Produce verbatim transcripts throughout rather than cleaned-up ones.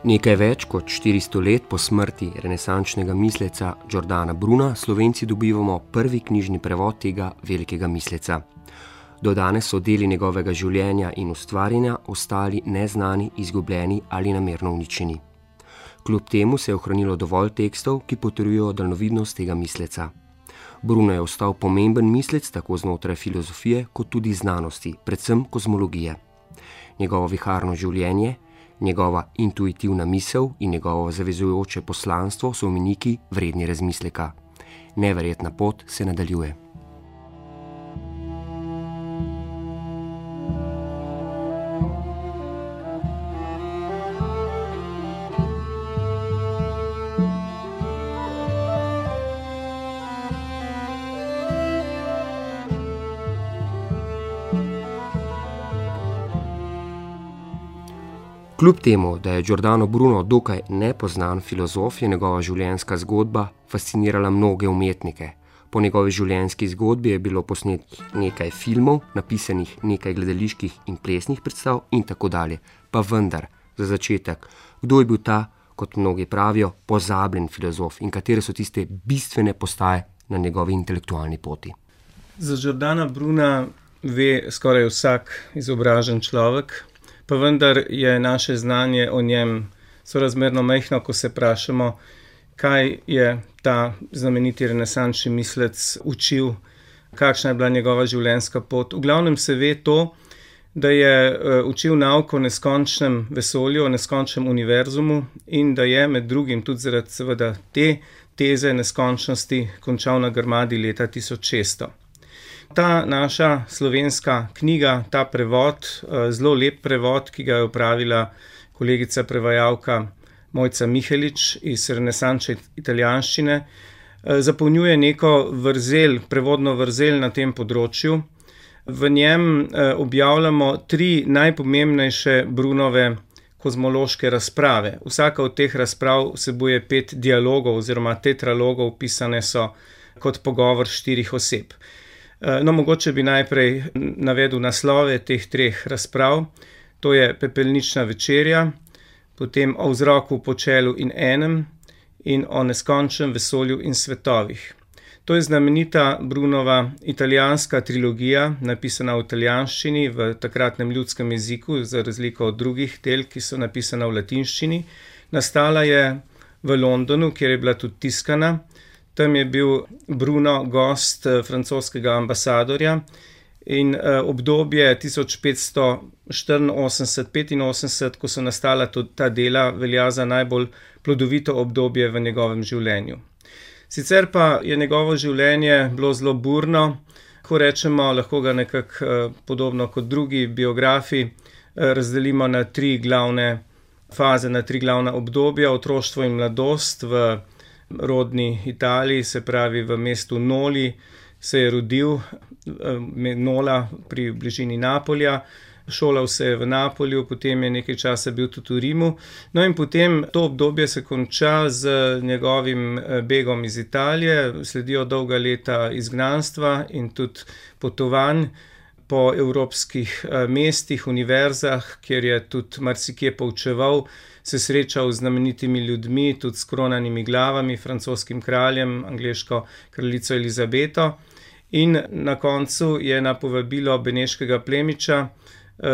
Nekaj več kot štiristo let po smrti renesančnega misleca Giordana Bruna Slovenci dobivamo prvi knjižni prevod tega velikega misleca. Do danes so deli njegovega življenja in ustvarjanja ostali neznani, izgubljeni ali namerno uničeni. Kljub temu se je ohranilo dovolj tekstov, ki potrjujejo daljnovidnost tega misleca. Bruno je ostal pomemben mislec tako znotraj filozofije kot tudi znanosti, predvsem kozmologije. Njegovo viharno življenje, njegova intuitivna misel in njegovo zavezujoče poslanstvo so omeniki vredni razmisleka. Neverjetna pot se nadaljuje. Kljub temu, da je Giordano Bruno dokaj nepoznan filozof, je njegova življenjska zgodba fascinirala mnoge umetnike. Po njegovi življenjski zgodbi je bilo posnetih nekaj filmov, napisanih nekaj gledaliških in plesnih predstav in tako dalje. Pa vendar, za začetek, kdo je bil ta, kot mnogi pravijo, pozabljen filozof in katere so tiste bistvene postaje na njegovi intelektualni poti? Za Giordana Bruna ve skoraj vsak izobražen človek, pa vendar je naše znanje o njem sorazmerno majhno, ko se vprašamo, kaj je ta znameniti renesančni mislec učil, kakšna je bila njegova življenjska pot. V glavnem se ve to, da je učil nauk o neskončnem vesolju, o neskončnem univerzumu in da je med drugim tudi zaradi seveda te teze neskončnosti končal na Grmadi leta tisoč šeststo. Ta naša slovenska knjiga, ta prevod, zelo lep prevod, ki ga je opravila kolegica prevajalka Mojca Mihelič iz renesančne italijanščine, zapolnjuje neko vrzel, prevodno vrzel na tem področju. V njem objavljamo tri najpomembnejše Brunove kozmološke razprave. Vsaka od teh razprav vsebuje pet dialogov oziroma tetralogov, pisane so kot pogovor štirih oseb. No, mogoče bi najprej navedel naslove teh treh razprav. To je Pepelnična večerja, potem O vzroku, počelu in enem in O neskončnem vesolju in svetovih. To je znamenita Brunova italijanska trilogija, napisana v italijanščini, v takratnem ljudskem jeziku, za razliko od drugih del, ki so napisana v latinščini. Nastala je v Londonu, kjer je bila tudi tiskana. Tam je bil Bruno gost francoskega ambasadorja in obdobje tisoč petsto štiriinosemdeset do petinosemdeset, ko so nastala ta dela, velja za najbolj plodovito obdobje v njegovem življenju. Sicer pa je njegovo življenje bilo zelo burno, ko rečemo, lahko ga nekako podobno kot drugi biografi razdelimo na tri glavne faze, na tri glavna obdobja, otroštvo in mladost. V rodni Italiji, se pravi v mestu Noli, se je rodil, Nola pri bližini Napolja, šolal se je v Napolju, potem je nekaj časa bil tudi v Rimu. No in potem to obdobje se konča z njegovim begom iz Italije, sledijo dolga leta izgnanstva in tudi potovanj po evropskih mestih, univerzah, kjer je tudi marsikje poučeval, se srečal z znamenitimi ljudmi, tudi s kronanimi glavami, francoskim kraljem, angleško kraljico Elizabeto. In na koncu je na povabilo beneškega plemiča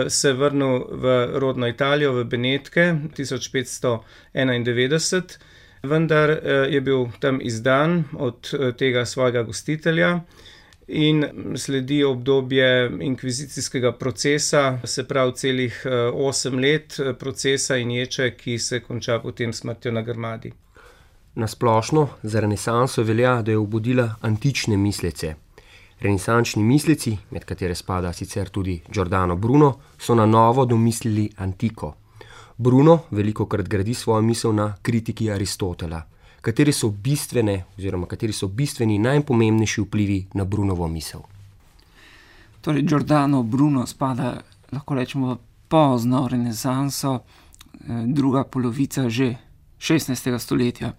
se vrnil v rodno Italijo, v Benetke, tisoč petsto enaindevetdeset, vendar je bil tam izdan od tega svojega gostitelja in sledi obdobje inkvizicijskega procesa, se pravi celih osem let procesa in ječe, ki se konča potem smrtjo na Grmadi. Na splošno za renesanso velja, da je obudila antične mislece. Renesančni misleci, med katere spada sicer tudi Giordano Bruno, so na novo domislili antiko. Bruno velikokrat gradi svojo misel na kritiki Aristotela. Kateri so bistvene oziroma kateri so bistveni najpomembnejši vplivi na Brunovo misel? Torej, Giordano Bruno spada, lahko rečemo, pozno renesanso, druga polovica že šestnajstega stoletja.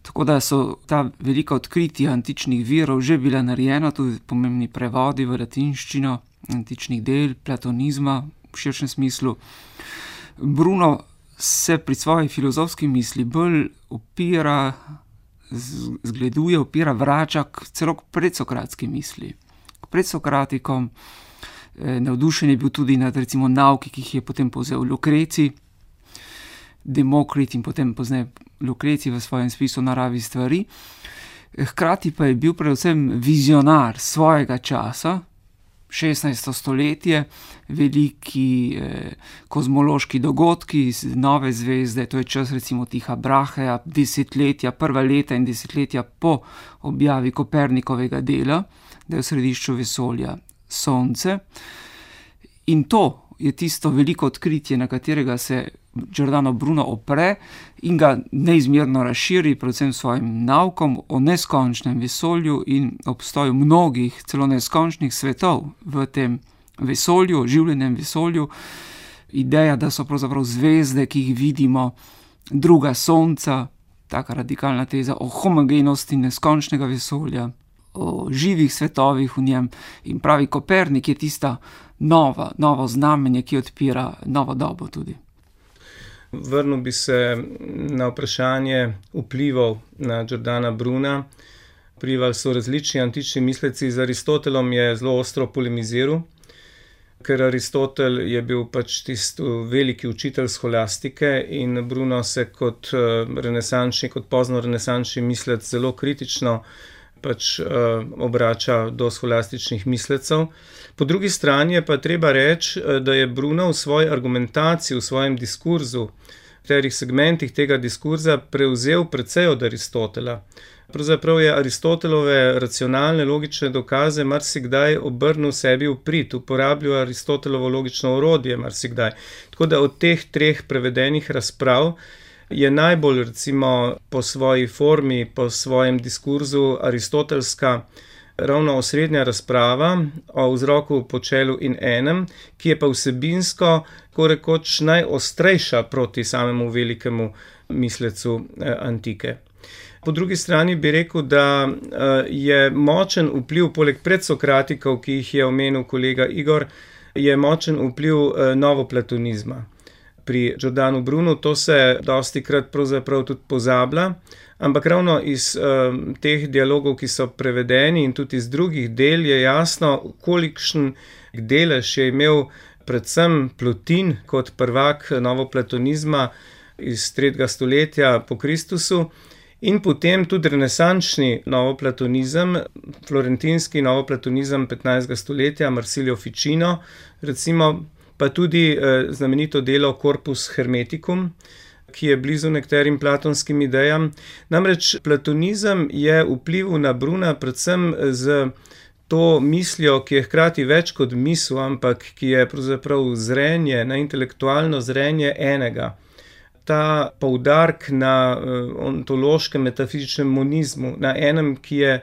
Tako da so ta velika odkritja antičnih virov že bila narejena, tudi pomembni prevodi v latinščino antičnih del, platonizma v širšem smislu. Bruno se pri svoji filozofski misli bolj opira, zgleduje, opira, vrača k celo k predsokratski misli. K predsokratikom. Navdušen je bil tudi nad recimo nauki, ki jih je potem povzel Lukreci, Demokrit in potem pozneje Lukreci v svojem spisu Naravi stvari. Hkrati pa je bil predvsem vizionar svojega časa, šestnajsto stoletje, veliki eh, kozmološki dogodki, nove zvezde, to je čas recimo Tiha Braheja, desetletja, prva leta in desetletja po objavi Kopernikovega dela, da je v središču vesolja Sonce. In to je tisto veliko odkritje, na katerega se Giordano Bruno opre in ga neizmerno razširi, predvsem svojim naukom o neskončnem vesolju in obstoju mnogih, celo neskončnih svetov v tem vesolju, življenjem vesolju. Ideja, da so pravzaprav zvezde, ki jih vidimo, druga sonca, taka radikalna teza o homogenosti neskončnega vesolja, o živih svetovih v njem, in pravi Kopernik je tista nova, novo znamenje, ki odpira novo dobo tudi. Vrnil bi se na vprašanje vplivov na Giordana Bruna. Vplivali so različni antični misleci. Z Aristotelom je zelo ostro polemiziral, ker Aristotel je bil pač tisti veliki učitelj sholastike in Bruno se kot renesančni, kot pozno renesančni mislec zelo kritično pač uh, obrača do scholastičnih mislecev. Po drugi strani je pa treba reči, da je Bruno v svoji argumentaciji, v svojem diskurzu, v katerih segmentih tega diskurza prevzel precej od Aristotela. Pravzaprav je Aristotelove racionalne, logične dokaze marsikdaj obrnil sebi v prid, uporabljal Aristotelovo logično orodje marsikdaj. Tako da od teh treh prevedenih razprav je najbolj recimo po svoji formi, po svojem diskurzu aristotelska ravno osrednja razprava o vzroku, počelu in enem, ki je pa vsebinsko korekoč najostrejša proti samemu velikemu mislecu antike. Po drugi strani bi rekel, da je močen vpliv, poleg predsokratikov, ki jih je omenil kolega Igor, je močen vpliv novoplatonizma. Pri Giordanu Brunu to se dostikrat pravzaprav tudi pozablja, ampak ravno iz uh, teh dialogov, ki so prevedeni in tudi iz drugih del, je jasno, kolikšen delež je imel predvsem Plotin kot prvak novoplatonizma iz tretjega stoletja po Kristusu in potem tudi renesančni novoplatonizem, florentinski novoplatonizem petnajstega stoletja, Marsilio Ficino, recimo, pa tudi eh, znamenito delo Corpus Hermeticum, ki je blizu nekaterim platonskim idejam. Namreč platonizem je vplival na Bruna predvsem z to mislijo, ki je hkrati več kot misel, ampak ki je pravzaprav zrenje, na intelektualno zrenje enega. Ta poudarek na eh, ontološkem metafizičnem monizmu, na enem, ki je,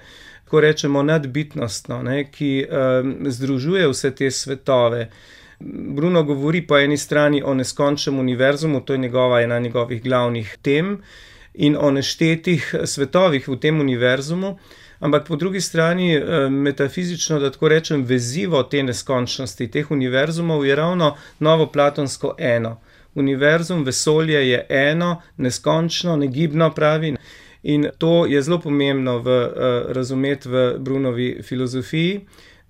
ko rečemo, nadbitnostno, ne, ki eh, združuje vse te svetove. Bruno govori po eni strani o neskončnem univerzumu, to je njegova ena njegovih glavnih tem, in o neštetih svetovih v tem univerzumu, ampak po drugi strani metafizično, da tako rečem, vezivo te neskončnosti, teh univerzumov je ravno novoplatonsko eno. Univerzum, vesolje je eno, neskončno, negibno pravi. In to je zelo pomembno v, uh, razumeti v Brunovi filozofiji,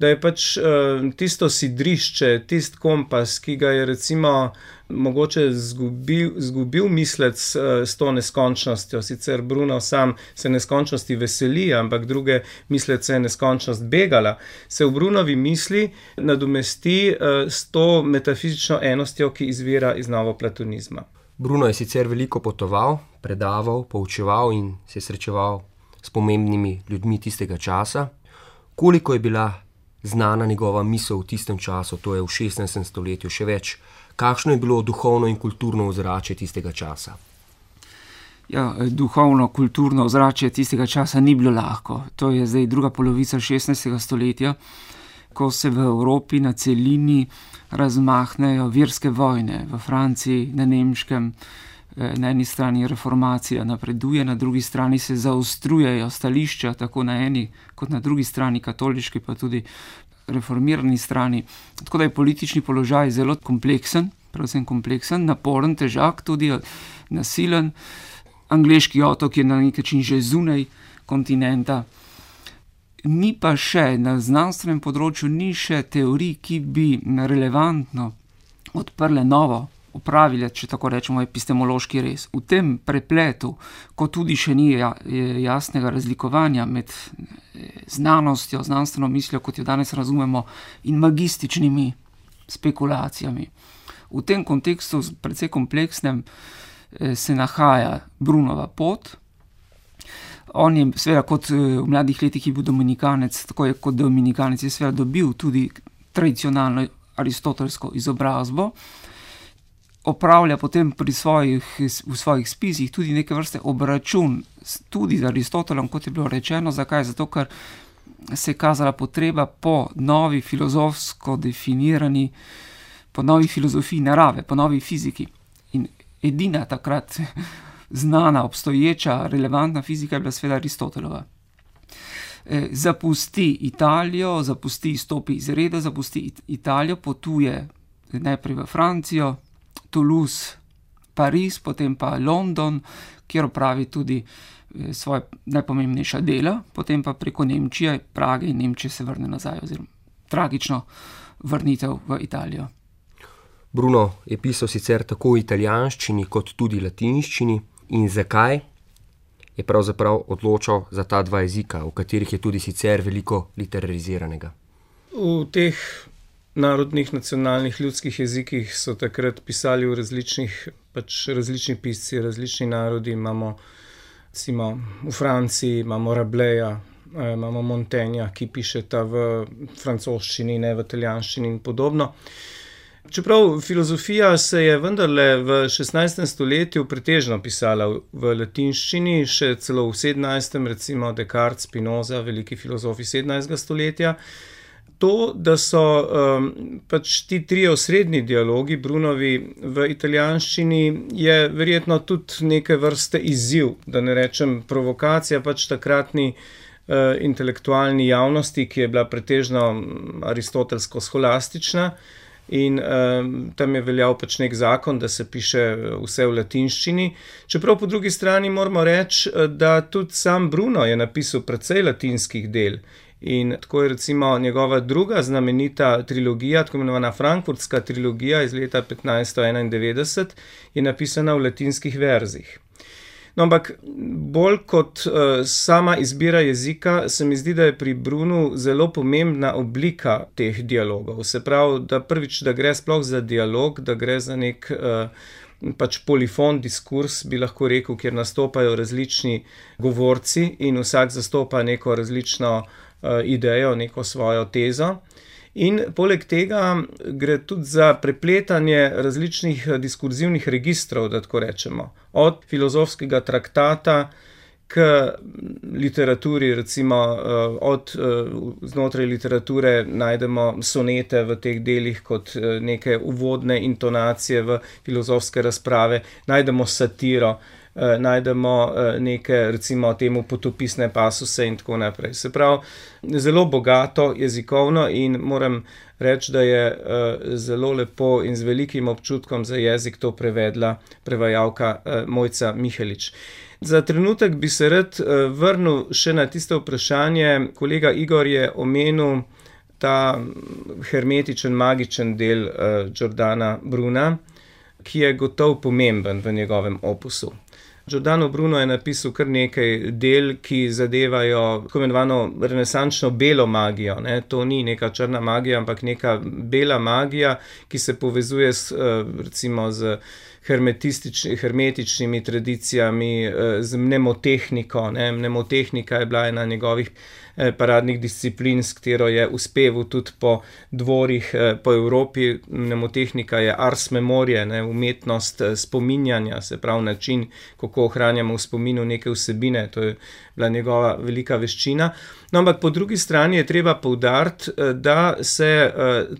da je pač uh, tisto sidrišče, tist kompas, ki ga je recimo mogoče zgubil, zgubil mislec uh, s to neskončnostjo. Sicer Bruno sam se neskončnosti veseli, ampak druge mislece je neskončnost begala. Se v Brunovi misli nadomesti uh, s to metafizično enostjo, ki izvira iz novoplatonizma. Bruno je sicer veliko potoval, predaval, poučeval in se srečeval s pomembnimi ljudmi tistega časa. Koliko je bila znana njegova misel v tistem času, to je v šestnajstem stoletju, še več? Kakšno je bilo duhovno in kulturno ozračje tistega časa? Ja, duhovno, kulturno ozračje tistega časa ni bilo lahko. To je zdaj druga polovica šestnajstega stoletja, ko se v Evropi na celini razmahnejo verske vojne. V Franciji, na Nemškem, na eni strani reformacija napreduje, na drugi strani se zaostrujejo stališča, tako na eni kot na drugi strani, katoliški pa tudi reformirani strani. Tako da je politični položaj zelo kompleksen predvsem kompleksen, naporen, težak, tudi nasilen. Angleški otok je na nek način že zunaj kontinenta. Ni pa še, na znanstvenem področju ni še teorij, ki bi relevantno odprle novo, opravile, če tako rečemo, epistemološki rez. V tem prepletu, ko tudi še ni jasnega razlikovanja med znanostjo, znanstveno mislijo, kot jo danes razumemo, in magističnimi spekulacijami. V tem kontekstu, precej kompleksnem, se nahaja Brunova pot. On je seveda kot v mladih letih je bil dominikanec, tako je kot dominikanec je seveda dobil tudi tradicionalno aristotelsko izobrazbo. Opravlja potem pri svojih, v svojih spisih tudi neke vrste obračun tudi z Aristotelom, kot je bilo rečeno. Zakaj? Zato, ker se je kazala potreba po novi filozofsko definirani, po novi filozofiji narave, po novi fiziki. In edina takrat znana, obstoječa, relevantna fizika je bila seveda Aristotelova. E, zapusti Italijo, zapusti, stopi iz reda, zapusti Italijo, potuje najprej v Francijo, Toulouse, Pariz, potem pa London, kjer opravi tudi svoje najpomembnejša dela, potem pa preko Nemčije, Prage in Nemčije se vrne nazaj, oziroma tragično vrnitev v Italijo. Bruno je pisal sicer tako v italijanščini kot tudi latinščini. In zakaj je pravzaprav odločil za ta dva jezika, v katerih je tudi sicer veliko literariziranega? V teh narodnih, nacionalnih, ljudskih jezikih so takrat pisali v različnih, pač različni pisci, različni narodi. Imamo, recimo, v Franciji imamo Rabeleja, imamo Montaigna, ki pišeta v francoščini, ne v italijanščini in podobno. Čeprav filozofija se je vendarle v šestnajstem stoletju pretežno pisala v latinščini, še celo v sedemnajstem, recimo Descartes, Spinoza, veliki filozofi sedemnajstega stoletja. To, da so um, pač ti trije osrednji dialogi Brunovi v italijanščini, je verjetno tudi neke vrste izziv, da ne rečem provokacija pač takratni uh, intelektualni javnosti, ki je bila pretežno aristotelsko-scholastična. In um, tam je veljal pač nek zakon, da se piše vse v latinščini. Čeprav po drugi strani moramo reči, da tudi sam Bruno je napisal precej latinskih del. In tako je recimo njegova druga znamenita trilogija, tako imenovana Frankfurtska trilogija iz leta petnajststo enaindevetdeset, je napisana v latinskih verzih. No, ampak bolj kot uh, sama izbira jezika, se mi zdi, da je pri Brunu zelo pomembna oblika teh dialogov. Se pravi, da prvič, da gre sploh za dialog, da gre za nek uh, pač polifon diskurs, bi lahko rekel, kjer nastopajo različni govorci in vsak zastopa neko različno uh, idejo, neko svojo tezo. In poleg tega gre tudi za prepletanje različnih diskurzivnih registrov, da tako rečemo. Od filozofskega traktata k literaturi, recimo od znotraj literature najdemo sonete v teh delih kot neke uvodne intonacije v filozofske razprave, najdemo satiro, najdemo neke, recimo temu potopisne pasuse in tako naprej. Se pravi, zelo bogato jezikovno in moram reči, da je zelo lepo in z velikim občutkom za jezik to prevedla prevajalka Mojca Mihelič. Za trenutek bi se rad vrnil še na tisto vprašanje. Kolega Igor je omenil ta hermetičen, magičen del Giordana Bruna, ki je gotovo pomemben v njegovem opusu. Giordano Bruno je napisal kar nekaj del, ki zadevajo tako imenovano renesančno belo magijo. Ne? To ni neka črna magija, ampak neka bela magija, ki se povezuje s, recimo z hermetičnimi tradicijami, z mnemotehniko. Ne? Mnemotehnika je bila ena njegovih paradnih disciplin, s katero je uspeval tudi po dvorih po Evropi. Mnemotehnika je ars memorie, ne? Umetnost spominjanja, se pravi način, kako ohranjamo v spominu neke vsebine. To je bila njegova velika veščina. No, ampak po drugi strani je treba poudariti, da se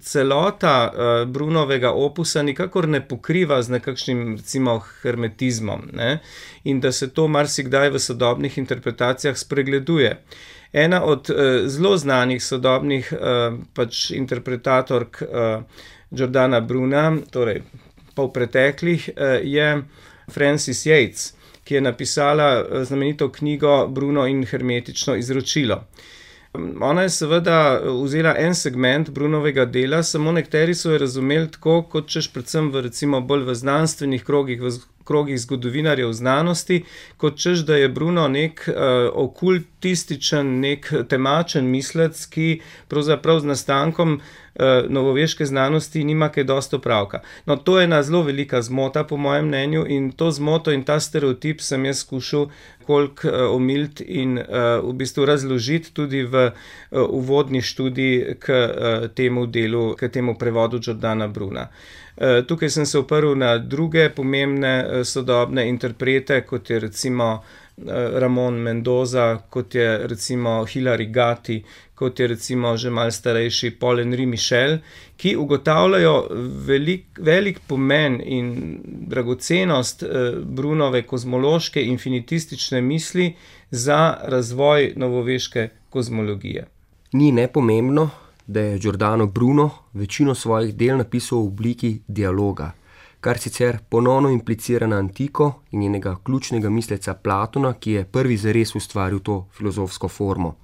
celota Brunovega opusa nikakor ne pokriva z nekakšnim, recimo, hermetizmom, ne? In da se to marsikdaj v sodobnih interpretacijah spregleduje. Ena od uh, zelo znanih sodobnih uh, pač interpretatork uh, Giordana Bruna, torej pa v preteklih, je Frances Yates, ki je napisala znamenito knjigo Bruno in hermetično izročilo. Ona je seveda vzela en segment Brunovega dela, samo nekateri so jo razumeli tako, kot češ predvsem v recimo bolj v znanstvenih krogih, v krogih zgodovinarjev znanosti, kot češ, da je Bruno nek uh, okultističen, nek temačen mislec, ki pravzaprav z nastankom uh, novoveške znanosti nima kaj dosti opravka. No, to je ena zelo velika zmota, po mojem mnenju, in to zmoto in ta stereotip sem jaz skušal koliko uh, omiliti in uh, v bistvu razložiti tudi v uh, uvodni študiji k uh, temu delu, k temu prevodu Giordana Bruna. Uh, tukaj sem se oprl na druge pomembne uh, sodobne interprete, kot je recimo uh, Ramon Mendoza, kot je recimo Hilary Gatti, kot je recimo že malo starejši Paul-Henri Michel, ki ugotavljajo velik, velik pomen in dragocenost uh, Brunove kozmološke infinitistične misli za razvoj novoveške kozmologije. Ni nepomembno, da je Giordano Bruno večino svojih del napisal v obliki dialoga, kar sicer ponovno implicira na antiko in njenega ključnega misleca Platona, ki je prvi zares ustvaril to filozofsko formo.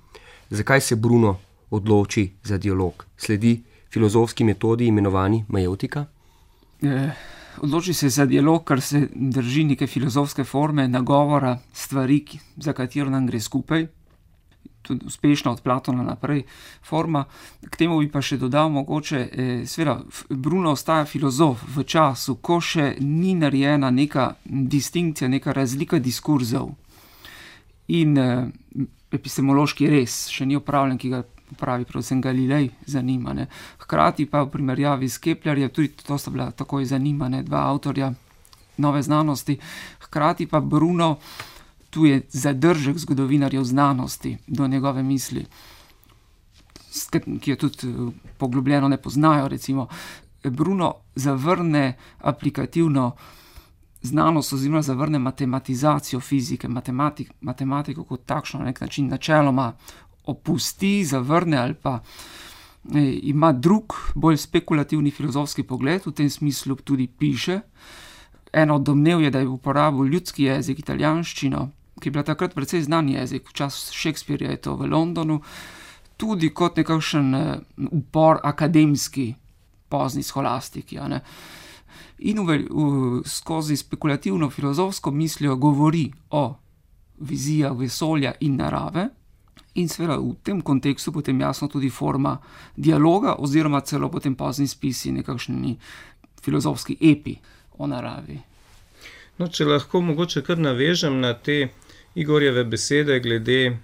Zakaj se Bruno odloči za dialog? Sledi filozofski metodi imenovani maieutika? Eh, odloči se za dialog, ker se drži neke filozofske forme, nagovora, stvari, za katero nam gre skupaj, tudi uspešna od Platona naprej forma. K temu bi pa še dodal mogoče, eh, seveda, Bruno ostaja filozof v času, ko še ni narejena neka distinkcija, neka razlika diskurzov in eh, epistemološki res še ni opravljen, ki ga pravi predvsem Galilej zanima. Ne. Hkrati pa v primerjavi s Keplerjem, tudi to sta bila takoj zanimane dva avtorja nove znanosti, hkrati pa Bruno, tu je zadržek zgodovinarjev znanosti do njegove misli, ki jo tudi poglobljeno ne poznajo. Recimo, Bruno zavrne aplikativno znanost oziroma zavrne matematizacijo fizike, matematik, matematiko kot takšno na nek način načeloma opusti, zavrne ali pa e, ima drug, bolj spekulativni filozofski pogled, v tem smislu tudi piše. Eno od domnev je, da je uporabil ljudski jezik, italijanščino, ki je bila takrat precej znan jezik, v času Shakespearea je to v Londonu, tudi kot nekakšen upor akademski pozni scholastiki. Ne. In v, v, skozi spekulativno filozofsko mislijo govori o vizijah vesolja in narave in seveda v tem kontekstu potem jasno tudi forma dialoga oziroma celo potem pozni spisi, nekakšni filozofski epi o naravi. No, če lahko mogoče kar navežem na te Igorjeve besede glede uh,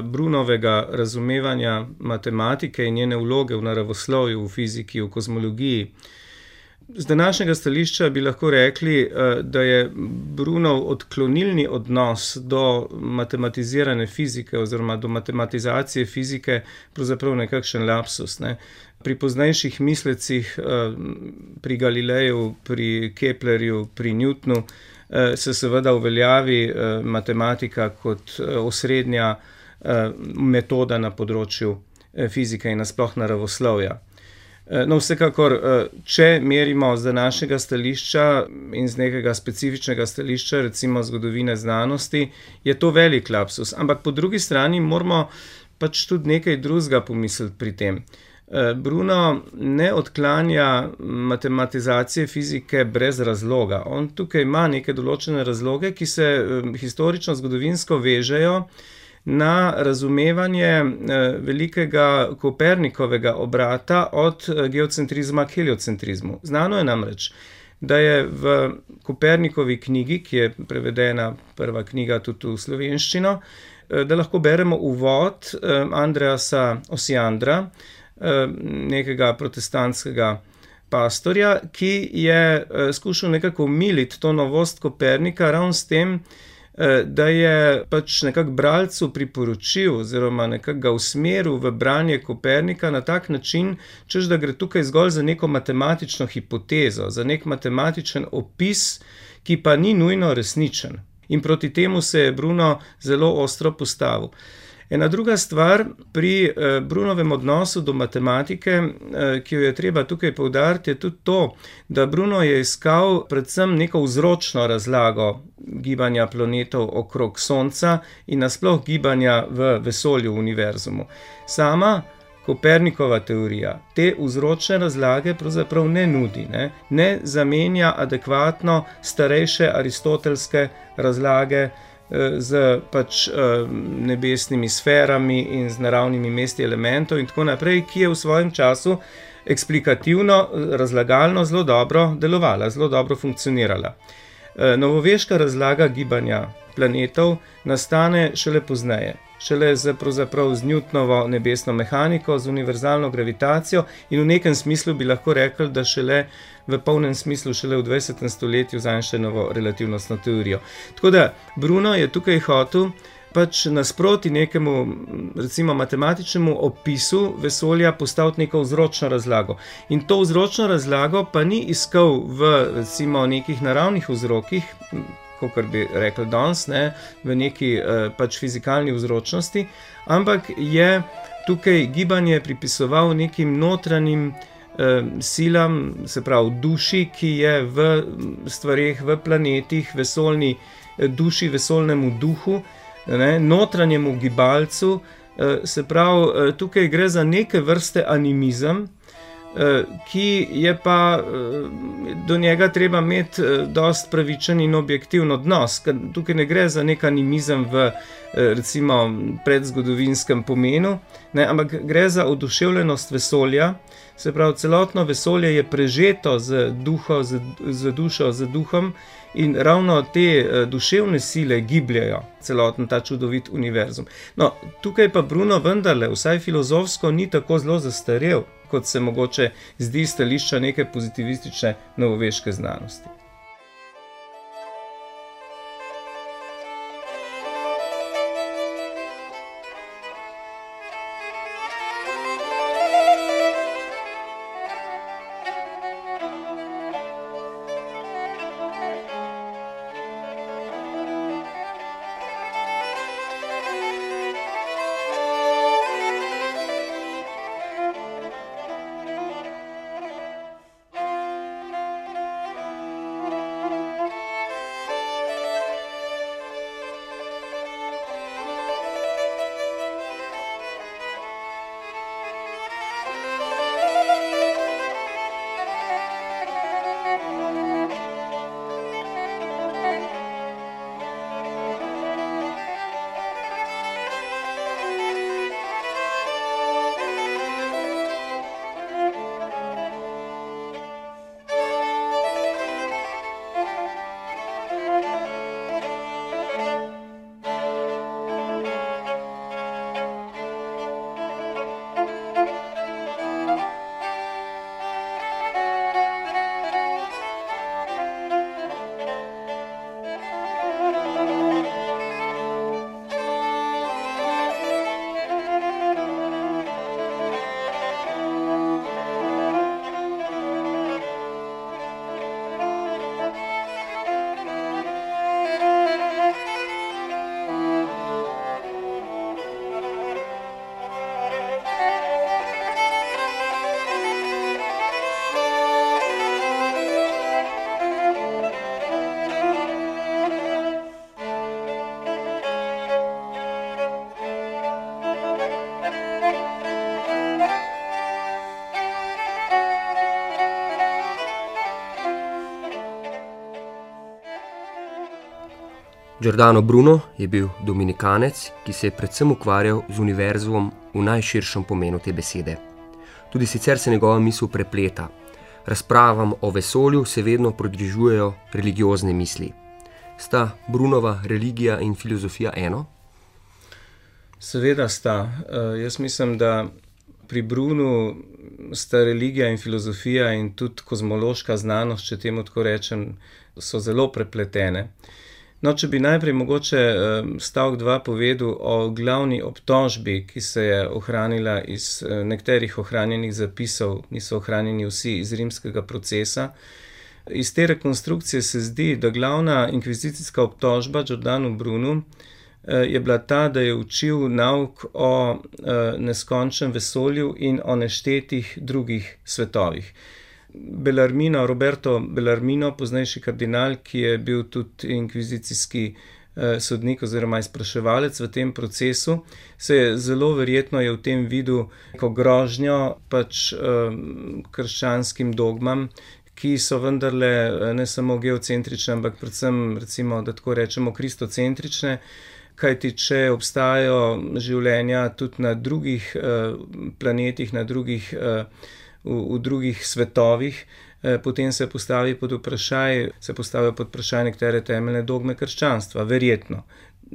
Brunovega razumevanja matematike in njene vloge v naravoslovju, v fiziki, v kozmologiji. Z današnjega stališča bi lahko rekli, uh, da je Brunov odklonilni odnos do matematizirane fizike oziroma do matematizacije fizike pravzaprav nekakšen lapsus, ne. Pri poznejših mislecih, pri Galileju, pri Keplerju, pri Newtonu, se seveda uveljavi matematika kot osrednja metoda na področju fizike in nasploh naravoslovja. No, vsekakor, če merimo z današnjega stališča in z nekega specifičnega stališča, recimo zgodovine znanosti, je to velik lapsus. Ampak po drugi strani moramo pač tudi nekaj drugega pomisliti pri tem. Bruno ne odklanja matematizacije fizike brez razloga. On tukaj ima neke določene razloge, ki se historično zgodovinsko vežejo na razumevanje velikega Kopernikovega obrata od geocentrizma k heliocentrizmu. Znano je namreč, da je v Kopernikovi knjigi, ki je prevedena prva knjiga tudi v slovenščino, da lahko beremo uvod Andreasa Osiandra, nekega protestantskega pastorja, ki je skušal nekako umiliti to novost Kopernika ravno s tem, da je pač nekako bralcu priporočil oziroma nekako ga usmeril v branje Kopernika na tak način, češ da gre tukaj zgolj za neko matematično hipotezo, za nek matematičen opis, ki pa ni nujno resničen. In proti temu se je Bruno zelo ostro postavil. Ena druga stvar pri Brunovem odnosu do matematike, ki jo je treba tukaj poudariti, je tudi to, da Bruno je iskal predvsem neko vzročno razlago gibanja planetov okrog Sonca in nasploh gibanja v vesolju, v univerzumu. Sama Kopernikova teorija te vzročne razlage pravzaprav ne nudi, ne, ne zamenja adekvatno starejše aristotelske razlage z pač nebesnimi sferami in z naravnimi mesti elementov in tako naprej, ki je v svojem času eksplikativno, razlagalno zelo dobro delovala, zelo dobro funkcionirala. Novoveška razlaga gibanja planetov nastane šele pozneje, šele z, pravzaprav z Newtonovo nebesno mehaniko, z univerzalno gravitacijo in v nekem smislu bi lahko rekli, da šele v polnem smislu šele v dvajsetem stoletju z Einsteinovo relativnostno teorijo. Tako da Bruno je tukaj hotel pač nasproti nekemu, recimo, matematičnemu opisu vesolja postaviti neko vzročno razlago. In to vzročno razlago pa ni iskal v, recimo, nekih naravnih vzrokih, kakor bi rekli danes, ne, v neki pač fizikalni vzročnosti, ampak je tukaj gibanje pripisoval nekim notranjim silam, se pravi duši, ki je v stvareh, v planetih, vesolni duši, vesolnemu duhu, ne, notranjemu gibalcu, se pravi, tukaj gre za neke vrste animizem, ki je pa do njega treba imeti dosti pravičen in objektivn odnos. Tukaj ne gre za nek animizem v, recimo, predzgodovinskem pomenu, ne, ampak gre za oduševljenost vesolja, se pravi, celotno vesolje je prežeto z duho, z, z dušo, z duhom in ravno te duševne sile gibljajo celoten ta čudovit univerzum. No, tukaj pa Bruno vendarle, vsaj filozofsko, ni tako zelo zastarel, kot se mogoče zdi stališča neke pozitivistične novoveške znanosti. Giordano Bruno je bil dominikanec, ki se je predvsem ukvarjal z univerzumom v najširšem pomenu te besede. Tudi sicer se njegova misel prepleta. Razpravam o vesolju se vedno pridružujejo religiozne misli. Sta Brunova religija in filozofija eno? Seveda sta. Uh, jaz mislim, da pri Brunu sta religija in filozofija in tudi kozmološka znanost, če temu tako rečem, so zelo prepletene. No, če bi najprej mogoče stavek dva povedal o glavni obtožbi, ki se je ohranila iz nekaterih ohranjenih zapisov, niso ohranjeni vsi, iz rimskega procesa. Iz te rekonstrukcije se zdi, da glavna inkvizicijska obtožba Giordanu Brunu je bila ta, da je učil nauk o neskončnem vesolju in o neštetih drugih svetovih. Bellarmino, Roberto Bellarmino, poznejši kardinal, ki je bil tudi inkvizicijski sodnik oziroma izpraševalec v tem procesu, se je zelo verjetno je v tem videl neko grožnjo pač krščanskim dogmam, ki so vendarle ne samo geocentrične, ampak predvsem, recimo, da tako rečemo, kristocentrične, kajti če obstajajo življenja tudi na drugih planetih, na drugih, v, v drugih svetovih, potem se postavi pod vprašaj, se postavijo pod vprašaj nekatere temeljne dogme krščanstva, verjetno.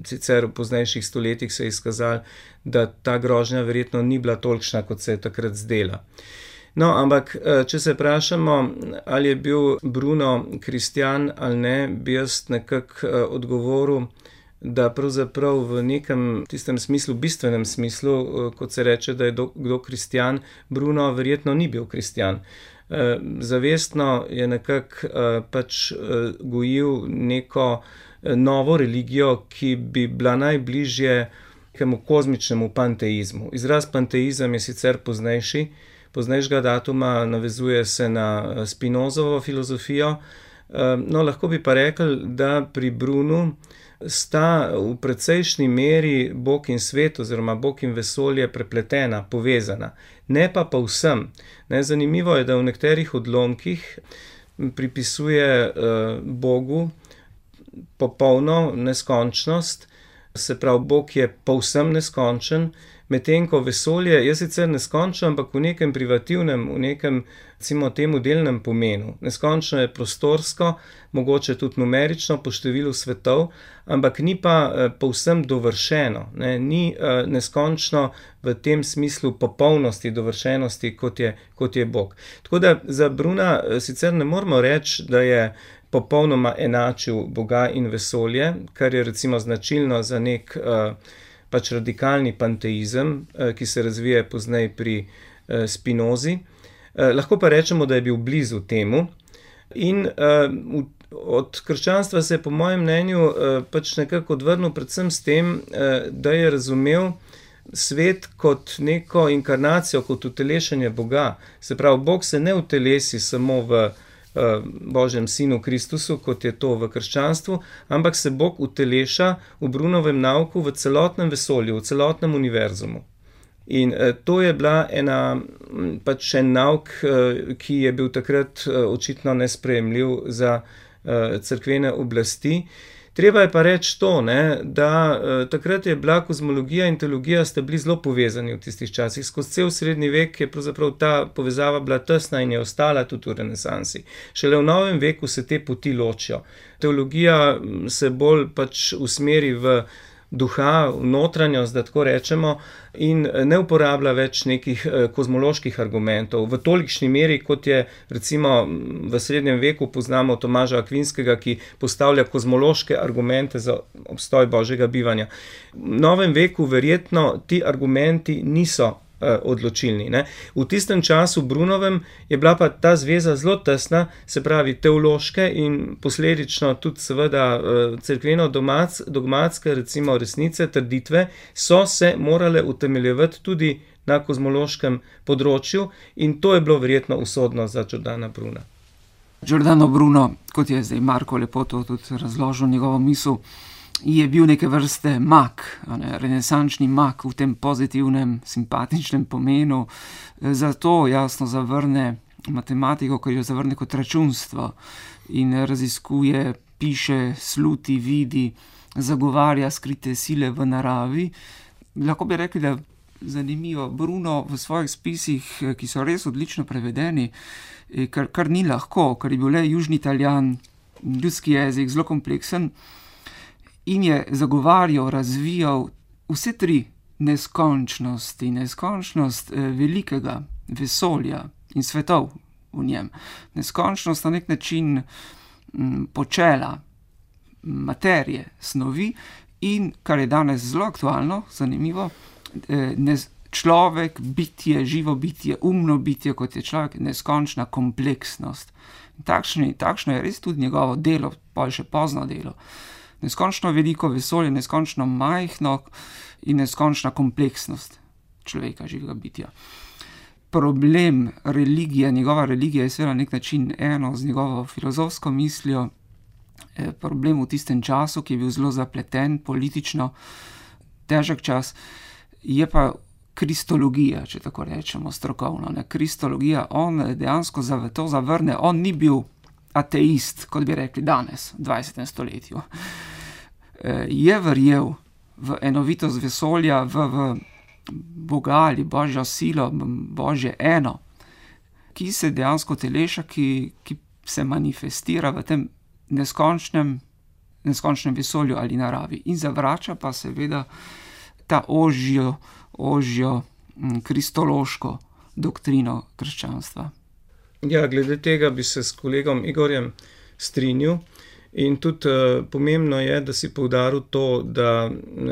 Sicer v poznejših stoletjih se je izkazalo, da ta grožnja verjetno ni bila tolikšna, kot se je takrat zdela. No, ampak, če se vprašamo, ali je bil Bruno kristjan ali ne, bi jaz nekako odgovoril, da pravzaprav v nekem tistem smislu, bistvenem smislu, kot se reče, da je kdo kristjan, Bruno verjetno ni bil kristjan. Zavestno je nekako pač gojil neko novo religijo, ki bi bila najbližje nekemu kozmičnemu panteizmu. Izraz panteizem je sicer poznejši, poznejšega datuma, navezuje se na Spinozovo filozofijo, no, lahko bi pa rekli, da pri Brunu sta v precejšnji meri Bog in svet oziroma Bog in vesolje prepletena, povezana. Ne pa povsem. Ne, zanimivo je, da v nekaterih odlomkih pripisuje uh, Bogu popolno neskončnost, se pravi, Bog je povsem neskončen, medtem ko vesolje je sicer neskončno, ampak v nekem privativnem, v nekem, recimo temu, delnem pomenu. Neskončno je prostorsko, mogoče tudi numerično po številu svetov, ampak ni pa eh, povsem dovršeno, ne? Ni eh, neskončno v tem smislu popolnosti, dovršenosti, kot je, kot je Bog. Tako da za Bruna eh, sicer ne moramo reči, da je popolnoma enačil Boga in vesolje, kar je recimo značilno za nek eh, pač radikalni panteizem, ki se razvije pozneje pri Spinozi. Lahko pa rečemo, da je bil blizu temu. In od krščanstva se je po mojem mnenju pač nekako odvrnil predvsem s tem, da je razumel svet kot neko inkarnacijo, kot utelešenje Boga. Se pravi, Bog se ne utelesi samo v Božjem sinu Kristusu, kot je to v krščanstvu, ampak se Bog uteleša v Brunovem nauku v celotnem vesolju, v celotnem univerzumu. In to je bila ena, pač en nauk, ki je bil takrat očitno nesprejemljiv za cerkvene oblasti. Treba je pa reči to, ne, da takrat je bila kozmologija in teologija sta bili zelo povezani v tistih časih. Skozi cel srednji vek je pravzaprav ta povezava bila tesna in je ostala tudi v renesansi. Šele v novem veku se te poti ločijo. Teologija se bolj pač usmeri v duha, v notranjost, da tako rečemo, in ne uporablja več nekih kozmoloških argumentov v tolikšni meri, kot je recimo v srednjem veku poznamo Tomaža Akvinskega, ki postavlja kozmološke argumente za obstoj Božjega bivanja. V novem veku verjetno ti argumenti niso odločilni. Ne. V tistem času Brunovem je bila pa ta zveza zelo tesna, se pravi teološke in posledično tudi seveda cerkveno dogmatske, recimo resnice, trditve, so se morale utemeljevati tudi na kozmološkem področju in to je bilo verjetno usodno za Giordana Bruna. Giordano Bruno, kot je zdaj Marko lepo to tudi razložil njegovo misel, je bil neke vrste mag, ne, renesančni mag v tem pozitivnem, simpatičnem pomenu, zato jasno zavrne matematiko, ker jo zavrne kot računstvo in raziskuje, piše, sluti, vidi, zagovarja skrite sile v naravi. Lahko bi rekli, da zanimivo, Bruno v svojih spisih, ki so res odlično prevedeni, kar, kar ni lahko, ker je bil le južni Italijan, ljudski jezik, zelo kompleksen, in je zagovarjal, razvijal vse tri neskončnosti, neskončnost velikega vesolja in svetov v njem. Neskončnost na nek način počela, materije, snovi in, kar je danes zelo aktualno, zanimivo, človek, bitje, živo bitje, umno bitje, kot je človek, neskončna kompleksnost. Takšno, takšno je res tudi njegovo delo, pa še pozno delo. Neskončno veliko vesolje, neskončno majhno in neskončna kompleksnost človeka, živega bitja. Problem religije, njegova religija je seveda na nek način eno z njegovo filozofsko mislijo, problem v tistem času, ki je bil zelo zapleten, politično težek čas, je pa kristologija, če tako rečemo strokovno. Ne? Kristologija, on dejansko to zavrne, on ni bil ateist, kot bi rekli danes, v dvajsetem stoletju. Je verjel v enovitost vesolja, v, v Boga ali Božjo silo, Božje eno, ki se dejansko teleša, ki, ki se manifestira v tem neskončnem, neskončnem vesolju ali naravi. In zavrača pa seveda ta ožjo, ožjo kristološko doktrino krščanstva. Ja, glede tega bi se s kolegom Igorjem strinjal. In tudi uh, pomembno je, da si poudaril to, da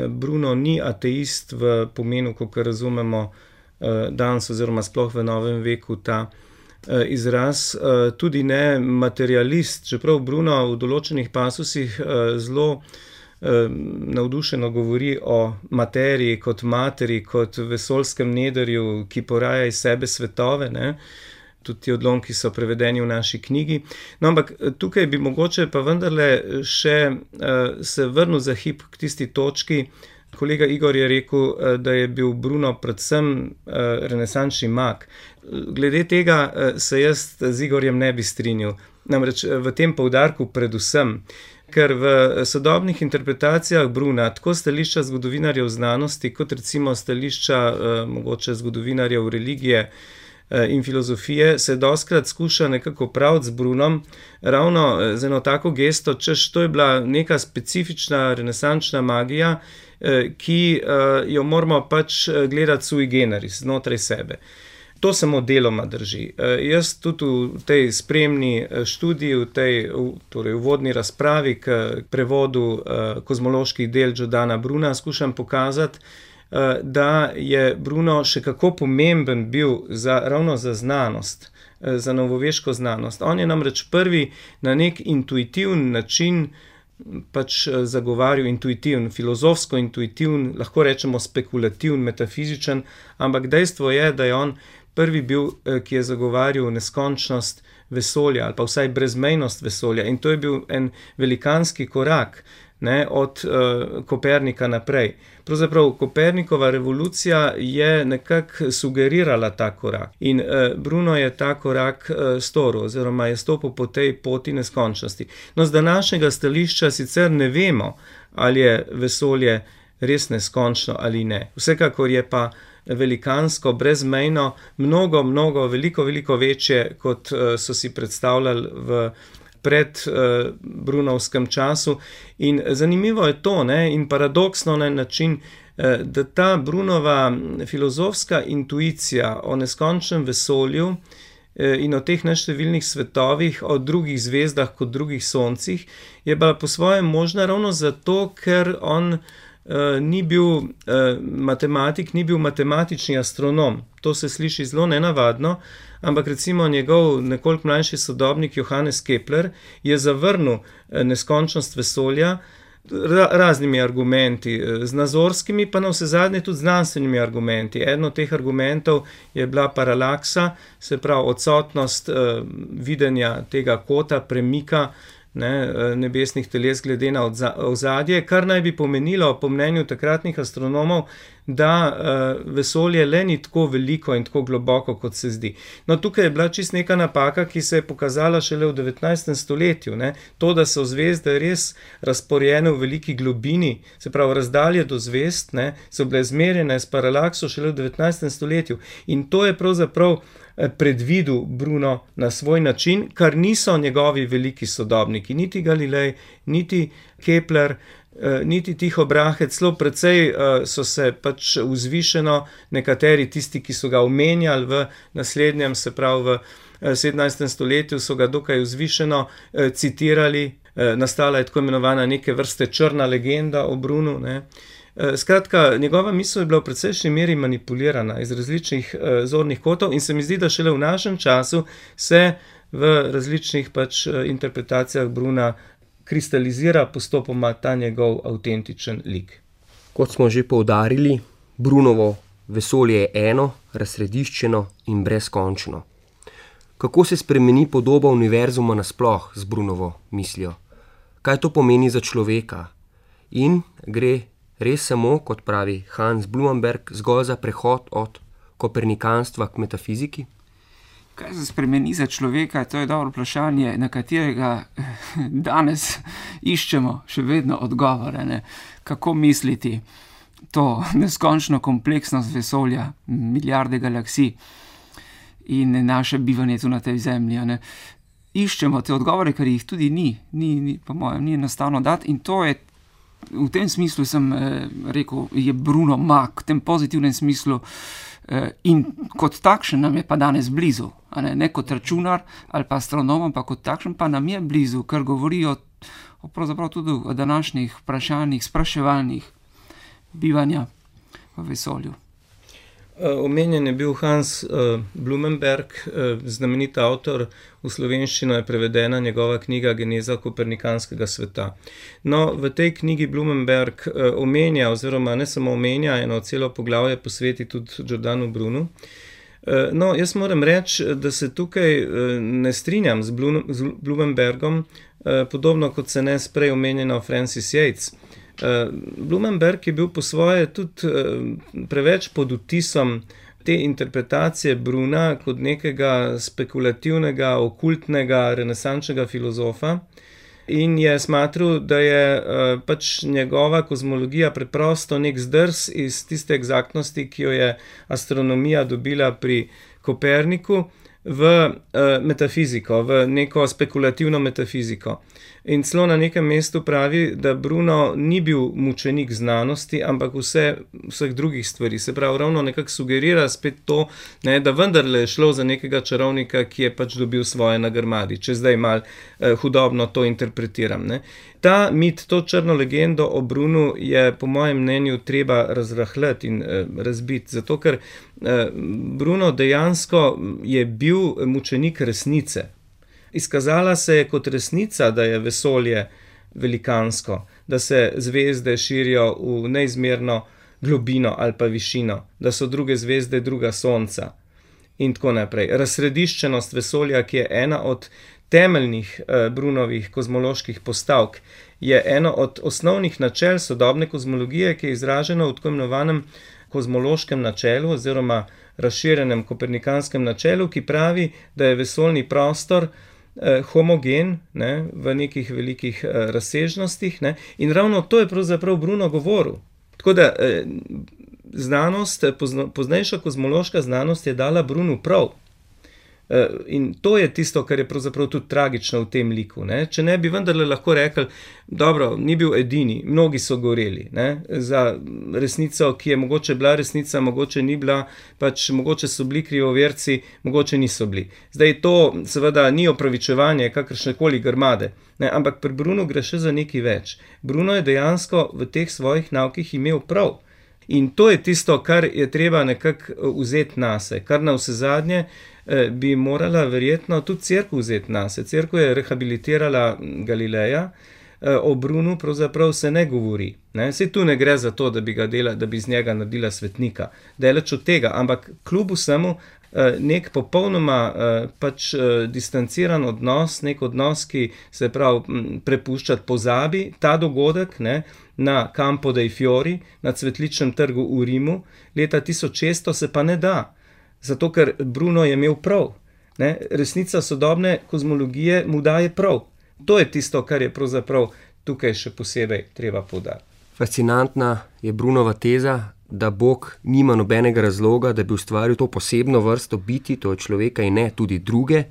Bruno ni ateist v pomenu, kot razumemo uh, danes oziroma sploh v novem veku ta uh, izraz, uh, tudi ne materialist, čeprav Bruno v določenih pasusih uh, zelo uh, navdušeno govori o materiji kot materi, kot vesoljskem nedrju, ki poraja iz sebe svetove, ne? Tudi ti odlomki so prevedeni v naši knjigi. No, ampak tukaj bi mogoče pa vendarle še uh, se vrnil za hip k tisti točki. Kolega Igor je rekel, uh, da je bil Bruno predvsem uh, renesančni mag. Glede tega uh, se jaz z Igorjem ne bi strinjal. Namreč v tem poudarku predvsem, ker v sodobnih interpretacijah Bruna, tako stališča zgodovinarjev znanosti, kot recimo stališča uh, mogoče zgodovinarjev religije in filozofije, se dostkrat skuša nekako praviti z Brunom, ravno z eno tako gesto, češ to je bila neka specifična renesančna magija, ki jo moramo pač gledati sui generis, znotraj sebe. To samo deloma drži. Jaz tudi v tej spremni študiji, v tej torej uvodni razpravi k prevodu kozmoloških del Giordana Bruna skušam pokazati, da je Bruno še kako pomemben bil za, ravno za znanost, za novoveško znanost. On je namreč prvi na nek intuitiven način pač zagovarjal, intuitiven, filozofsko intuitiven, lahko rečemo spekulativen, metafizičen, ampak dejstvo je, da je on prvi bil, ki je zagovarjal neskončnost vesolja ali pa vsaj brezmejnost vesolja, in to je bil en velikanski korak, ne, od uh, Kopernika naprej. Pravzaprav Kopernikova revolucija je nekako sugerirala ta korak in uh, Bruno je ta korak uh, storil oziroma je stopil po tej poti neskončnosti. No, z današnjega stališča sicer ne vemo, ali je vesolje res neskončno ali ne. Vsekakor je pa velikansko, brezmejno, mnogo, mnogo, veliko, veliko večje, kot uh, so si predstavljali v pred uh, Brunovskem času. In zanimivo je to, ne, in paradoksno na način, uh, da ta Brunova filozofska intuicija o neskončnem vesolju uh, in o teh neštevilnih svetovih, o drugih zvezdah kot drugih soncih, je bila po svojem možna ravno zato, ker on uh, ni bil uh, matematik, ni bil matematični astronom. To se sliši zelo nenavadno, ampak recimo njegov nekoliko mlajši sodobnik Johannes Kepler je zavrnil neskončnost vesolja ra- raznimi argumenti, z nazorskimi pa na vse zadnje tudi znanstvenimi argumenti. Eden od teh argumentov je bila paralaksa, se pravi odsotnost uh, videnja tega kota, premika, ne, nebesnih teles glede na ozadje, kar naj bi pomenilo, po mnenju takratnih astronomov, da uh, vesolje le ni tako veliko in tako globoko, kot se zdi. No, tukaj je bila čist neka napaka, ki se je pokazala šele v devetnajstem stoletju. Ne? To, da so zvezde res razporjene v veliki globini, se pravi razdalje do zvezd, ne, so bile zmerjene s paralakso šele v devetnajstem stoletju. In to je pravzaprav predvidel Bruno na svoj način, kar niso njegovi veliki sodobniki, niti Galilej, niti Kepler, niti Tycho Brahe, celo precej so se pač vzvišeno nekateri tisti, ki so ga omenjali v naslednjem, se pravi v sedemnajstem stoletju, so ga dokaj vzvišeno citirali, nastala je tako imenovana neke vrste črna legenda o Brunu, ne. Skratka, njegova misel je bila v precejšnji meri manipulirana iz različnih uh, zornih kotov in se mi zdi, da šele v našem času se v različnih pač interpretacijah Bruna kristalizira postopoma ta njegov avtentičen lik. Kot smo že poudarili, Brunovo vesolje je eno, razsrediščeno in brezkončno. Kako se spremeni podoba univerzuma nasploh z Brunovo mislijo? Kaj to pomeni za človeka? In gre res samo, kot pravi Hans Blumenberg, zgolj za prehod od kopernikanstva k metafiziki? Kaj se spremeni za človeka, to je dobro vprašanje, na katerega danes iščemo še vedno odgovore. Ne? Kako misliti to neskončno kompleksnost vesolja, milijarde galaksij in naše bivanje tu na tej zemlji. Ne? Iščemo te odgovore, ker jih tudi ni, ni, ni po mojem, ni enostavno dati, in to je, v tem smislu sem eh, rekel, je Bruno mag, v tem pozitivnem smislu, eh, in kot takšen nam je pa danes blizu, a ne? Ne kot računar ali pa astronom, ampak kot takšen pa nam je blizu, ker govorijo o, pravzaprav tudi o današnjih vprašanjih, spraševalnih bivanja v vesolju. Omenjen je bil Hans uh, Blumenberg, uh, znamenit avtor, v slovenščino je prevedena njegova knjiga Geneza kopernikanskega sveta. No, v tej knjigi Blumenberg uh, omenja, oziroma ne samo omenja, eno celo poglavje posveti tudi Giordanu Brunu. Uh, no, jaz moram reči, da se tukaj uh, ne strinjam z, Blum, z Blumenbergom, uh, podobno kot se ne s prej omenjeno Francis Yates. Uh, Blumenberg je bil po svoje tudi uh, preveč pod vtisom te interpretacije Bruna kot nekega spekulativnega, okultnega, renesančnega filozofa in je smatral, da je uh, pač njegova kozmologija preprosto nek zdrs iz tiste eksaktnosti, ki jo je astronomija dobila pri Koperniku, v uh, metafiziko, v neko spekulativno metafiziko. In celo na nekem mestu pravi, da Bruno ni bil mučenik znanosti, ampak vse, vseh drugih stvari. Se pravi, ravno nekako sugerira spet to, ne, da vendarle je šlo za nekega čarovnika, ki je pač dobil svoje na grmadi, če zdaj mal eh, hudobno to interpretiram. Ne. Ta mit, to črno legendo o Brunu je po mojem mnenju treba razrahljati in eh, razbiti, zato ker eh, Bruno dejansko je bil mučenik resnice. Izkazala se je kot resnica, da je vesolje velikansko, da se zvezde širijo v neizmerno globino ali pa višino, da so druge zvezde druga sonca in tako naprej. Razsrediščenost vesolja, ki je ena od temeljnih eh, Brunovih kozmoloških postavk, je eno od osnovnih načel sodobne kozmologije, ki je izraženo v tako imenovanem kozmološkem načelu oziroma razširjenem kopernikanskem načelu, ki pravi, da je vesoljni prostor homogen, ne, v nekih velikih eh, razsežnostih, ne, in ravno to je pravzaprav Bruno govoril. Tako da eh, znanost, pozno, poznejša kozmološka znanost je dala Brunu prav. Eh, in to je tisto, kar je pravzaprav tudi tragično v tem liku. Ne. Če ne bi vendarle lahko rekli, dobro, ni bil edini, mnogi so goreli, ne, za resnico, ki je mogoče bila resnica, mogoče ni bila, pač mogoče so bili krivoverci, mogoče niso bili. Zdaj to seveda ni opravičevanje kakršnekoli grmade, ne, ampak pri Brunu gre še za nekaj več. Bruno je dejansko v teh svojih naukih imel prav. In to je tisto, kar je treba nekako vzeti nase, kar na vse zadnje bi morala verjetno tudi cerkev vzeti nase. Cerkev je rehabilitirala Galileja, o Brunu pravzaprav se ne govori. Ne? Saj tu ne gre za to, da bi, ga dela, da bi z njega naredila svetnika. Daleč od tega, ampak kljub vsemu nek popolnoma pač distanciran odnos, nek odnos, ki se pravi prepuščati pozabi, ta dogodek, ne, na Campo dei Fiori, na Cvetličnem trgu v Rimu, leta tisoč šeststo se pa ne da. Zato, ker Bruno je imel prav. Ne? Resnica sodobne kozmologije mu daje prav. To je tisto, kar je pravzaprav tukaj še posebej treba poudariti. Fascinantna je Brunova teza, da Bog nima nobenega razloga, da bi ustvaril to posebno vrsto biti, to je človeka in ne tudi druge.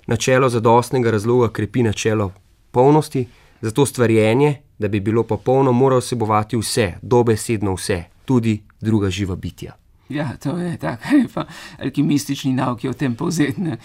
Načelo zadostnega razloga krepi načelo polnosti, zato stvarjenje, da bi bilo popolno, mora vsebovati vse, dobesedno vse, tudi druga živa bitja. Ja, to je tako, alkimistični nauk je o tem povzetne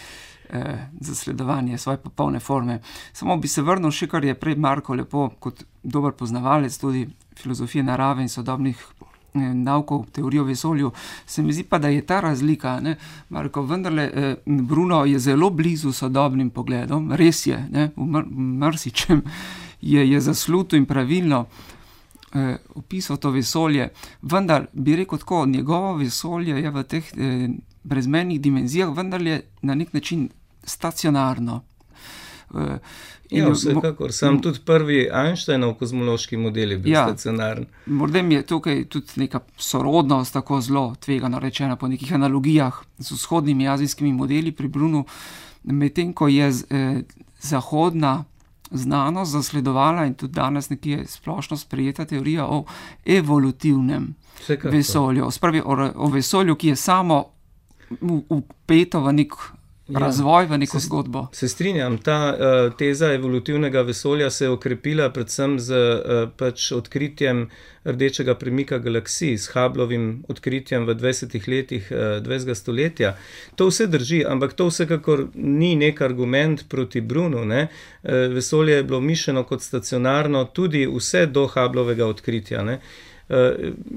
eh, zasledovanje svoje popolne forme. Samo bi se vrnil še, kar je prej Marko lepo, kot dober poznavalec tudi filozofije narave in sodobnih eh, naukov, teorijo o vesolju, se mi zdi pa, da je ta razlika, ne, Marko, vendarle eh, Bruno je zelo blizu sodobnim pogledom, res je, ne, v mr- marsičem, je, je zasluto in pravilno eh, opisal to vesolje, vendar bi rekel tako, njegovo vesolje je v teh eh, brezmejnih dimenzijah, vendar je na nek način stacionarno. Eh, Ja, vsekakor. Sam tudi prvi Einsteinov kozmološki model je bil ja, stacionaren. Morda mi je tukaj tudi neka sorodnost tako zelo tvegano rečena po nekih analogijah z vzhodnimi azijskimi modeli pri Brunu, medtem ko je eh, zahodna znanost zasledovala in tudi danes nekje splošno sprejeta teorija o evolutivnem Vsekakor. vesolju. Spravi o, o vesolju, ki je samo vpeto v nek razvoj, v neko se, zgodbo. Se strinjam, ta uh, teza evolutivnega vesolja se je okrepila predvsem z uh, pač odkritjem rdečega premika galaksij, s Hubblovim odkritjem v dvajsetih letih uh, dvajsetega stoletja. To vse drži, ampak to vsekakor ni nek argument proti Brunu. Ne? Uh, vesolje je bilo mišljeno kot stacionarno tudi vse do Hubblovega odkritja. Ne? Uh,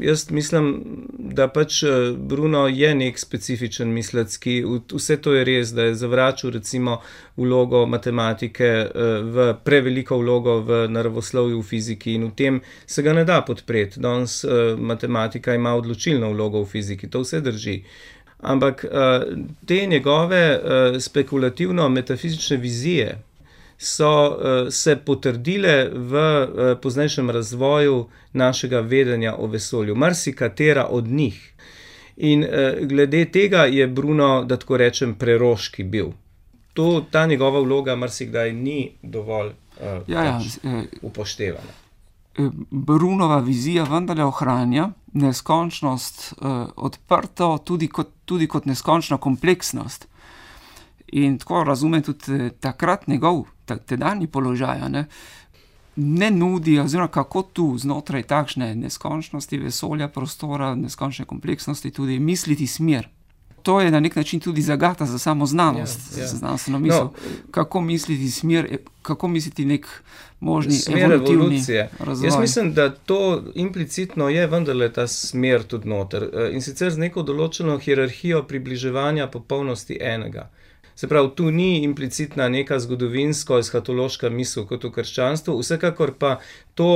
jaz mislim, da pač Bruno je nek specifičen mislec, ki vse to je res, da je zavračal recimo vlogo matematike uh, v preveliko vlogo v naravoslovju, v fiziki in v tem se ga ne da podpreti. Danes uh, matematika ima odločilno vlogo v fiziki, to vse drži. Ampak uh, te njegove uh, spekulativno-metafizične vizije so uh, se potrdile v uh, poznejšem razvoju našega vedenja o vesolju, marsikatera od njih. In uh, glede tega je Bruno, da tako rečem, preroški bil. To, ta njegova vloga marsikdaj ni dovolj uh, ja, ja, upoštevana. Brunova vizija vendarle ohranja neskončnost uh, odprto tudi kot, tudi kot neskončno kompleksnost. In tako razumem tudi takrat njegov tedanji položaj, ne, ne nudi, oziroma kako tu znotraj takšne neskončnosti vesolja, prostora, neskončne kompleksnosti tudi misliti smer. To je na nek način tudi zagata za samo znanost, ja, ja. za znanstveno misel. No, kako misliti smer, kako misliti nek možni smer evolutivni evolucije. razvoj. Jaz mislim, da to implicitno je vendarle ta smer tudi noter. In sicer z neko določeno hierarhijo približevanja popolnosti enega. Se pravi, tu ni implicitna neka zgodovinsko-eshatološka misel kot v krščanstvu, vsekakor pa to,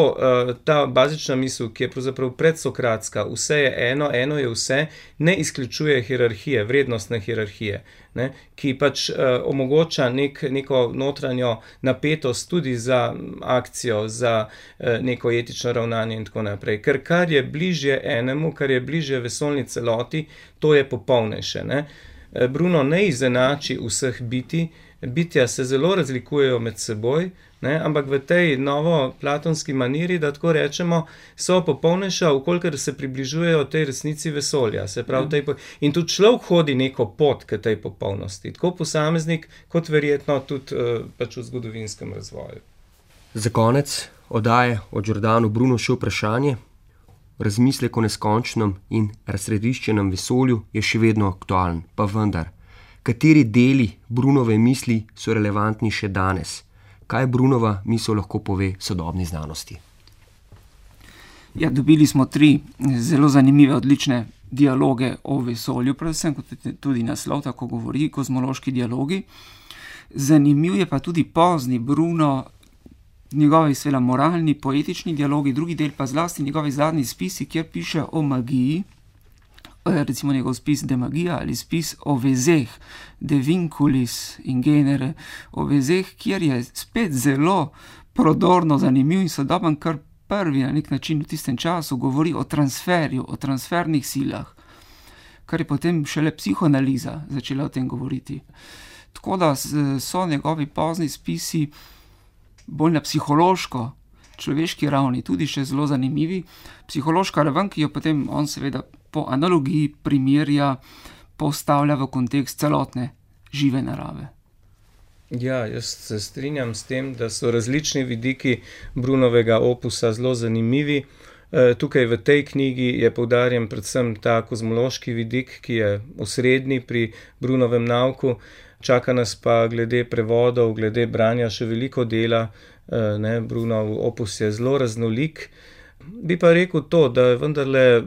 ta bazična misel, ki je pravzaprav predsokratska, vse je eno, eno je vse, ne izključuje hierarhije, vrednostne hierarhije, ne, ki pač uh, omogoča nek, neko notranjo napetost tudi za akcijo, za uh, neko etično ravnanje in tako naprej. Ker kar je bližje enemu, kar je bližje vesoljni celoti, to je popolnejše, ne. Bruno ne izenači vseh biti, bitja se zelo razlikujejo med seboj, ne, ampak v tej novoplatonski maniri, da tako rečemo, so popolnejša, vkolikor se približujejo tej resnici vesolja. Se pravi, tej, in tudi človek hodi neko pot k tej popolnosti, tako posameznik, kot verjetno tudi uh, pač v zgodovinskem razvoju. Za konec oddaje o Giordanu Bruno še vprašanje. Razmislek o neskončnem in razsrediščenem vesolju je še vedno aktualen, pa vendar. Kateri deli Brunove misli so relevantni še danes? Kaj Brunova misel lahko pove sodobni znanosti? Ja, dobili smo tri zelo zanimive, odlične dialoge o vesolju, predvsem kot tudi naslov tako govori, kozmološki dialogi. Zanimiv je pa tudi pozni Bruno, njegovi svela moralni, poetični dialogi, drugi del pa zlasti njegovi zadnji spisi, kjer piše o magiji, recimo njegov spis De Magia ali spis o vezeh, De Vinculis in Genere, o vezeh, kjer je spet zelo prodorno, zanimiv in sodoben, kar prvi na nek način v tistem času govori o transferju, o transfernih silah, kar je potem šele psihoanaliza začela o tem govoriti. Tako da so njegovi pozni spisi bolj na psihološko, človeški ravni, tudi še zelo zanimivi. Psihološka raven, ki jo potem on seveda po analogiji primerja, postavlja v kontekst celotne žive narave. Ja, jaz se strinjam s tem, da so različni vidiki Brunovega opusa zelo zanimivi. Tukaj v tej knjigi je poudarjen predvsem ta kozmološki vidik, ki je osrednji pri Brunovem nauku. Čaka nas pa glede prevodov, glede branja še veliko dela, ne, Brunov opus je zelo raznolik. Bi pa rekel to, da vendarle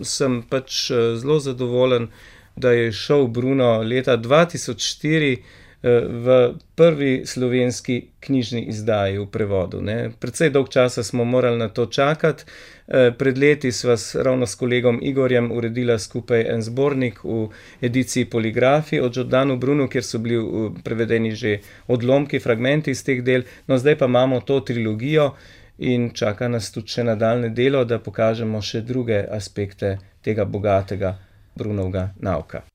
sem pač zelo zadovoljen, da je šel Bruno leta dva tisoč štiri v prvi slovenski knjižni izdaji v prevodu. Ne. Precej dolg časa smo morali na to čakati. Pred leti sva ravno s kolegom Igorjem uredila skupaj en zbornik v ediciji Poligrafi o Giordanu Brunu, kjer so bili prevedeni že odlomki, fragmenti iz teh del. No, zdaj pa imamo to trilogijo in čaka nas tudi še nadaljne delo, da pokažemo še druge aspekte tega bogatega Brunovega nauka.